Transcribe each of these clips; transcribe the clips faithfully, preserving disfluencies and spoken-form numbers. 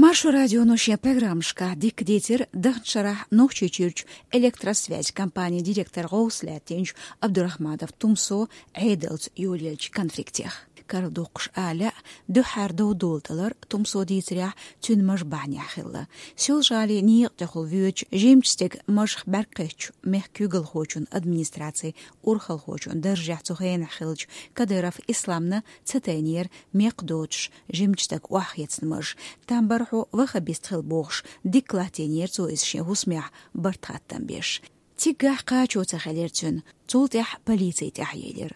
Маршо радионо шен программашкахь дика дийцира даханчу шарахь Нохчийчуьрчу электросвязь компанин директор гӀовс лаьттинчу Абдурахманов Тумсо Ӏедалца йолаеллачу конфликтех. Карладоккхуш а лаьа, дуьххьара дов долаталар, Тумсо дийцарехь, цуьнан мажа бахьанехь хилла. Соьлжа-ГӀалин некъа тӀехула воьдучу жимачу стеган мажах бӀаьрг кхеттачу мехкан куьйгалхочун администрацин урхалхочун даржехь цу хенахь хиллачу Кадыров Исламна ца тайнера мекх доцуш жимачу стага охьахецна мажа. Там бара хьо ваххабист хила бохуш, дика латтийнера цо иза шен хӀусамехь барт-хаттам беш. Циггахь кхачо ца хилира цуьнан, цул тӀаьхьа полици тӀаьхьаелира.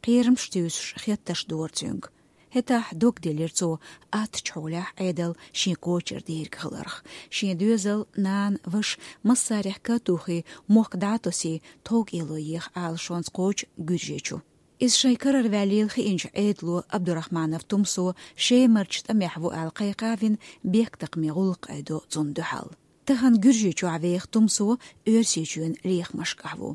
Кхерамаш туьйсуш, хеттарш дора цуьнга. ХӀетахь дог делира цо аттачу хьолехь Ӏедал шен кочара дийриг хиларх. Шен доьзал, нана, ваша массарехь катуххе мохк дӀа а тосий, тховкӀело еха Ӏалашонца кхочу Гуьржийчу. Иза шайн карара ваьллийла хиъначу Ӏедало Абдурахманов Тумсо Шемарчу тӀамехь ву аьлла кхайкха а вина, бехктакхаман гӀуллакх айдо цунна дуьхьал. Тахана Гуьржийчохь веха Тумсо Оьрсийчоьнан лехамашкахь ву.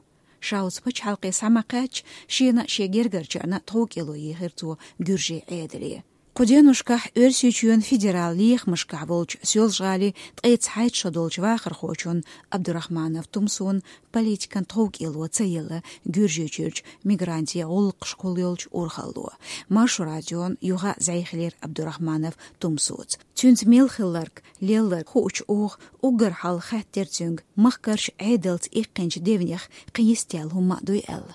Ша оцу пачхьалкхе схьа ма кхаьчча, шена а, шен гергарчарна а тховкӀело ехира цо Гуьржийн Ӏедале. Кху деношкахь Оьрсийчоьнан федералан лехамашкахь волчу Соьлжа-ГӀалин ткъе цхьайтта шо долчу вахархочун Абдурахманов Тумсон политикан тховкӀело ца елла Гуьржийчуьрчу мигрантийн гӀуллакхашкахула йолчу урхалло. Маршо радион юха а зӀе хилира Абдурахманов Тумсоца. Цуьнца мел хилларг, лелларг хуучу уха уггар хьалха хаьттира цуьнга, махкарчу Ӏедалца иккхинчу девнех кхин йист яьлла хӀумма а дуй аьлла.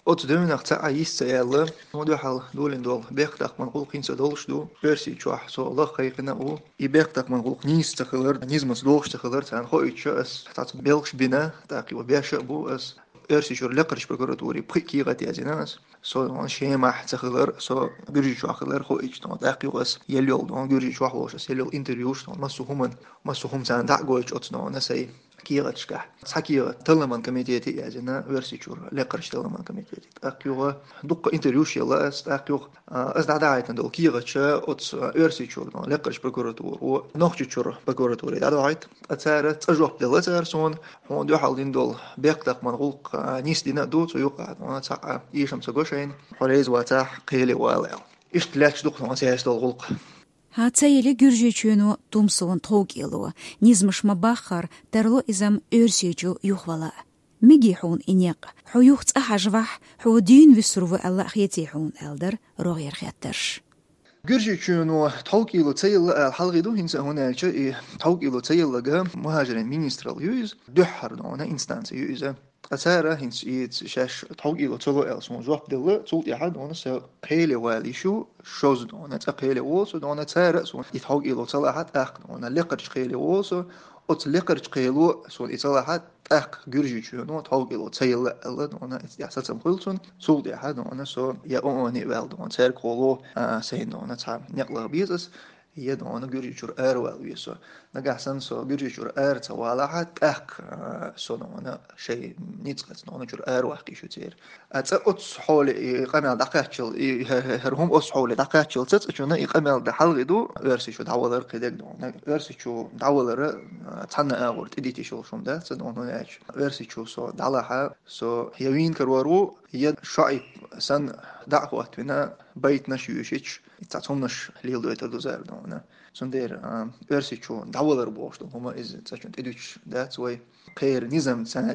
Оцу девнах цхьа а йист ца яьлла, хьуна дуьхьал долийна долу бехктакхаман гӀуллакх хӀинца а долуш ду, Оьрсийчохь со лаха кхайкхина а ву. И бехктакхаман гӀуллакх нийса ца хилар, низамца догӀуш ца хилар царна хоуьйтуш, ас цхьацца белхаш бина, тӀаккха юха беш а бу ас. Оьрсийчуьра лекхарчу прокуратуре пхи кехат язйина ас. Со, ну, Шемахь ца хилар, со Гуьржийчохь хилар хоуьйтуш, ну, тӀаккха юха ас елла йолу, ну, Гуьржийчохь волуш ас елла йолу интервьюш, ну, массо хӀуман, массо хӀума царна дӀа а гойтуш оцу, ну, сайн кехаташкахь. Цхьа кехат талламан комитете язйина, Оьрсийчуьра лекхарчу талламан комитете. ТӀаккха юха дуккха интервьюш елла ас, тӀаккха юха, а, ас дӀадахьийтина долу кехаташ оцу Оьрсийчуьра, ну, лекхарчу прокуратуро, Нохчийчуьра прокуратуре дӀадахьийта. Ткъа цара цкъа жоп делла цара суна, хьуна дуьхьал дина долу бехктакхаман гӀуллакх, а, нисдина а ду, цу юкъахь, ну, цхьа а эшам ца го шайна, хьо реза вацахь, кхеле вала аьлла. Иштта лаьтташ ду-кх, ну, цаьрца долу гӀуллакх. ХӀан, ца йили Гуьржийчоьно Тумсона тховкӀело, низамаш ма-баххара, тарло иза-м Оьрсийчу юхавала а. Мегий хьуна и некъ? Хьо юха цкъа хьажавахь, хьо дийна вуьсур ву аьлла а хетий хьуна, аьлла дара рогӀера хеттарш. Гуьржийчоьно тховкӀело ца елла аьлла хьалхе ду хӀинца а, хӀунда аьлча и тховкӀело ца елларг мухӀажирийн министралла ю иза, дуьххьара, ну, инстанци ю иза. Ткъа цара хӀинца и шаьш тховкӀело ца ло аьлла суна жоп делла, цул тӀаьхьа, ну, со кхеле вала йиш ю, шозза, ну, цкъа кхеле волу со, ну, цара а суна и тховкӀело ца лахь, тӀаккха, ну, лекхарчу кхеле волу со, оцу лекхарчу кхело суна и ца лахь, тӀаккха Гуьржийчоьно тховкӀело ца елла аьлла, ну, иза тӀехь сацам хуьлу цунна, цул тӀаьхьа, ну, со я ООНе а ваьлла, ну, цаьрга хьоло, а, сайна, ну, цхьа некъ лаха беза ас, я, ну, Гуьржийчуьра аравала веза со. Нагахь санна со Гуьржийчуьра ара ца валахь, тӀаккха, а, со, ну, шайн ницкъаца, ну, чуьра араваккха йиш ю церан. А цкъа оццу хьоле и къамел дӀакхаччалц, и хӀара хӀума оццу хьоле дӀакхаччалц цкъачунна и къамел дан хьалхе ду, Оьрсийчу дӀавалар кхидерг, ну, Оьрсийчу дӀавалара, а, цхьанна агӀор тӀедитта йиш йолуш хӀума дац, ну, хӀунда аьлча Оьрсийчу со дӀалахь, со я вийна карор ву, я шоӀип санна дӀа а хӀоттавина, байтанаш а йоьшуьйтуш, цхьа цхьаннаш леладойтур ду цара, ну. Цундела, а, Оьрсийчу дӀавалар бохуш долу хӀума иза цкъачунна тӀедуьтуш дац вай. Кхеран низам царна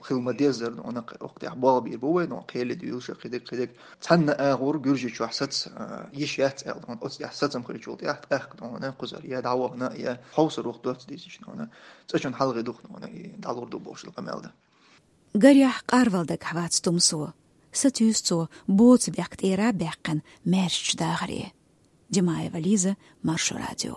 хила ма-деззара, ну, кху тӀехь болх бийр бу вай, ну, кхеле дуьйлуш а кхидерг, кхидерг. Цхьанна агӀор Гуьржийчохь саца, а, йиш яц аьлла, ну, оцу тӀехь сацам хилчул тӀехь, тӀаккха, ну, кхузара я дӀавахана, я хьовсур ву-кх доцца дийцича, ну, цкъачунна хьалхе ду-кх, ну, и дӀалур ду бохуш долу къамел дан. Гарехь, къарвала дагахь вац Тумсо. Сатуьйсу цо, боцу бехк тӀера а баьккхина, маьршачу дахаре. Димаева Лиза, Маршо радио.